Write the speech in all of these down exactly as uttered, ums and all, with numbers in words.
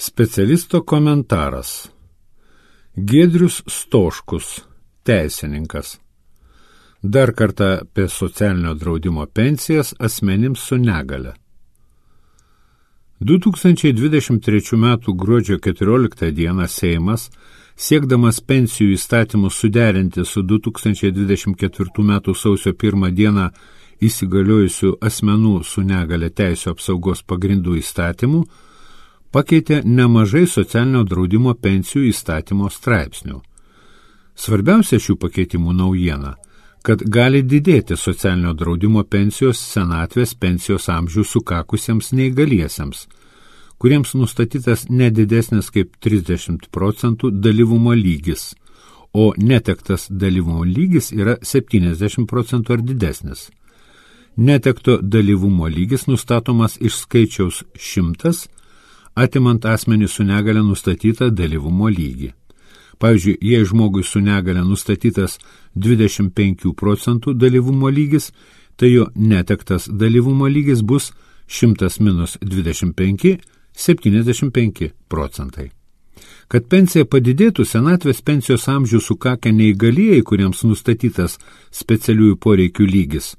Specialisto komentaras. Giedrius Stoškus, teisininkas. Dar kartą apie socialinio draudimo pensijas asmenims su negale. du tūkstančiai dvidešimt trečių metų gruodžio keturioliktą dieną Seimas, siekdamas pensijų įstatymus suderinti su du tūkstančiai dvidešimt ketvirtų metų sausio pirmą dieną įsigaliojusių asmenų su negale teisių apsaugos pagrindų įstatymų, pakeitė nemažai socialinio draudimo pensijų įstatymo straipsnių. Svarbiausia šių pakeitimų naujiena, kad gali didėti socialinio draudimo pensijos senatvės pensijos amžių sukakusiems neįgaliesiems, kuriems nustatytas nedidesnis kaip trisdešimt procentų dalyvumo lygis, o netektas dalyvumo lygis yra septyniasdešimt procentų ar didesnis. Netekto dalyvumo lygis nustatomas iš skaičiaus šimtas, atimant asmenį su negale nustatytą dalyvumo lygį. Pavyzdžiui, jei žmogui su negale nustatytas dvidešimt penkių procentų dalyvumo lygis, tai jo netektas dalyvumo lygis bus šimtas minus dvidešimt penki, septyniasdešimt penki procentai. Kad pensija padidėtų, senatvės pensijos amžių sukakę neįgalieji, kuriems nustatytas specialiųjų poreikių lygis,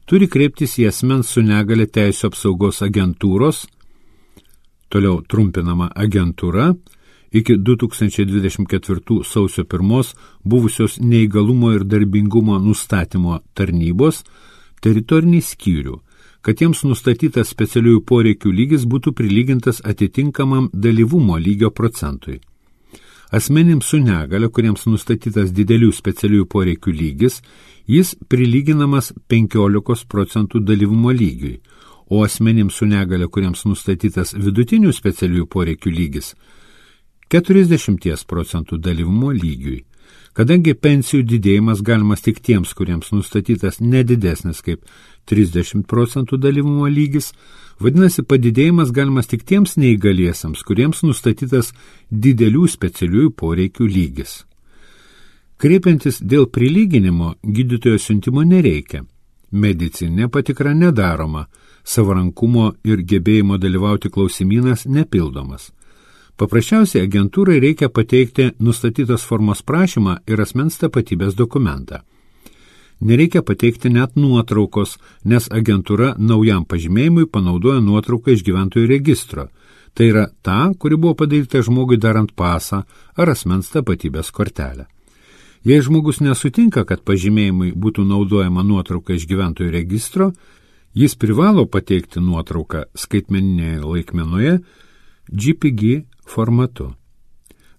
turi kreiptis į asmens su negale teisių apsaugos agentūros, toliau trumpinama agentūra, iki du tūkstančiai dvidešimt ketvirtų sausio pirmos buvusios neįgalumo ir darbingumo nustatymo tarnybos teritorinį skyrių, kad jiems nustatytas specialiųjų poreikių lygis būtų prilygintas atitinkamam dalyvumo lygio procentui. Asmenims su negale, kuriems nustatytas didelių specialiųjų poreikių lygis, jis prilyginamas penkiolikos procentų dalyvumo lygiui, o asmenims su negale, kuriems nustatytas vidutinių specialiųjų poreikių lygis, keturiasdešimt procentų dalyvumo lygiui. Kadangi pensijų didėjimas galimas tik tiems, kuriems nustatytas nedidesnis kaip trisdešimt procentų dalyvumo lygis, vadinasi, padidėjimas galimas tik tiems neįgaliesiems, kuriems nustatytas didelių specialiųjų poreikių lygis. Kreipiantis dėl prilyginimo, gydytojo siuntimo nereikia. Medicininė patikra nedaroma, savarankumo ir gebėjimo dalyvauti klausimynas nepildomas. Paprasčiausiai agentūrai reikia pateikti nustatytos formos prašymą ir asmens tapatybės dokumentą. Nereikia pateikti net nuotraukos, nes agentūra naujam pažymėjimui panaudoja nuotrauką iš gyventojų registro. Tai yra ta, kuri buvo padaryta žmogui darant pasą ar asmens tapatybės kortelę. Jei žmogus nesutinka, kad pažymėjimui būtų naudojama nuotrauka iš gyventojų registro, jis privalo pateikti nuotrauką skaitmeninėje laikmenoje G P G formatu.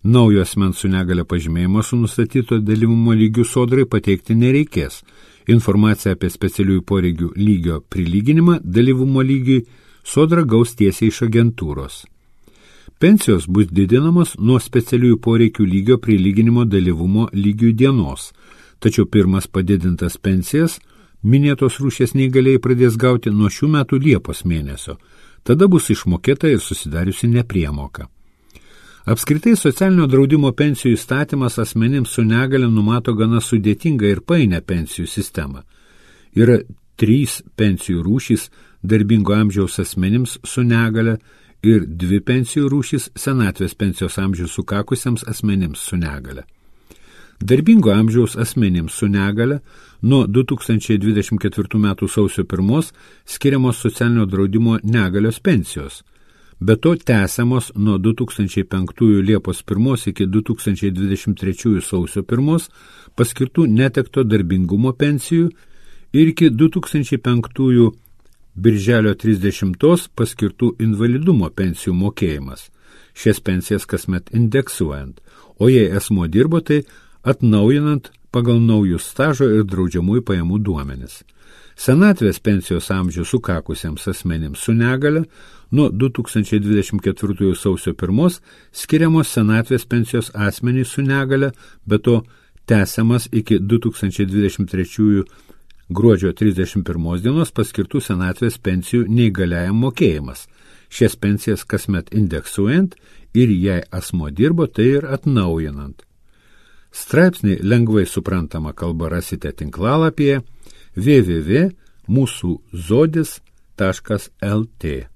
Naujo asmens su negale pažymėjimo su nustatyto dalyvumo lygių sodrai pateikti nereikės. Informaciją apie specialiųjų poreikių lygio prilyginimą dalyvumo lygiui sodra gaus tiesiai iš agentūros. Pensijos bus didinamos nuo specialiųjų poreikių lygio prilyginimo dalyvumo lygių dienos, tačiau pirmas padidintas pensijas minėtos rūšies neįgaliai pradės gauti nuo šių metų Liepos mėnesio. Tada bus išmokėta ir susidariusi nepriemoka. Apskritai socialinio draudimo pensijų įstatymas asmenims su negale numato gana sudėtingą ir painę pensijų sistemą. Yra trys pensijų rūšys darbingo amžiaus asmenims su negale ir dvi pensijų rūšys senatvės pensijos amžių sukakusiems asmenims su negale. Darbingo amžiaus asmenims su negale nuo du tūkstančiai dvidešimt ketvirtų metų sausio pirmos skiriamos socialinio draudimo negalios pensijos. Be to tęsiamos nuo du tūkstančiai penktųjų Liepos pirmos iki du tūkstančiai dvidešimt trečiųjų sausio pirmos paskirtų netekto darbingumo pensijų ir iki du tūkstančiai penktųjų Birželio trisdešimtos paskirtų invalidumo pensijų mokėjimas. Šias pensijas kasmet indeksuojant, o jei asmuo dirbo, tai atnaujinant pagal naujus stažo ir draudžiamųjų pajamų duomenis. Senatvės pensijos amžių sukakusiems asmenims su negale nuo du tūkstančiai dvidešimt ketvirtųjų sausio pirmos skiriamos senatvės pensijos asmenys su negale, be to tęsiamas iki du tūkstančiai dvidešimt trečiųjų gruodžio trisdešimt pirmos dienos paskirtų senatvės pensijų neįgaliajam mokėjimas. Šias pensijas kasmet indeksuojant ir jei asmuo dirbo, tai ir atnaujinant. Straipsnį lengvai suprantama kalba rasite tinklalapyje w w w taškas mūsų zodis taškas l t.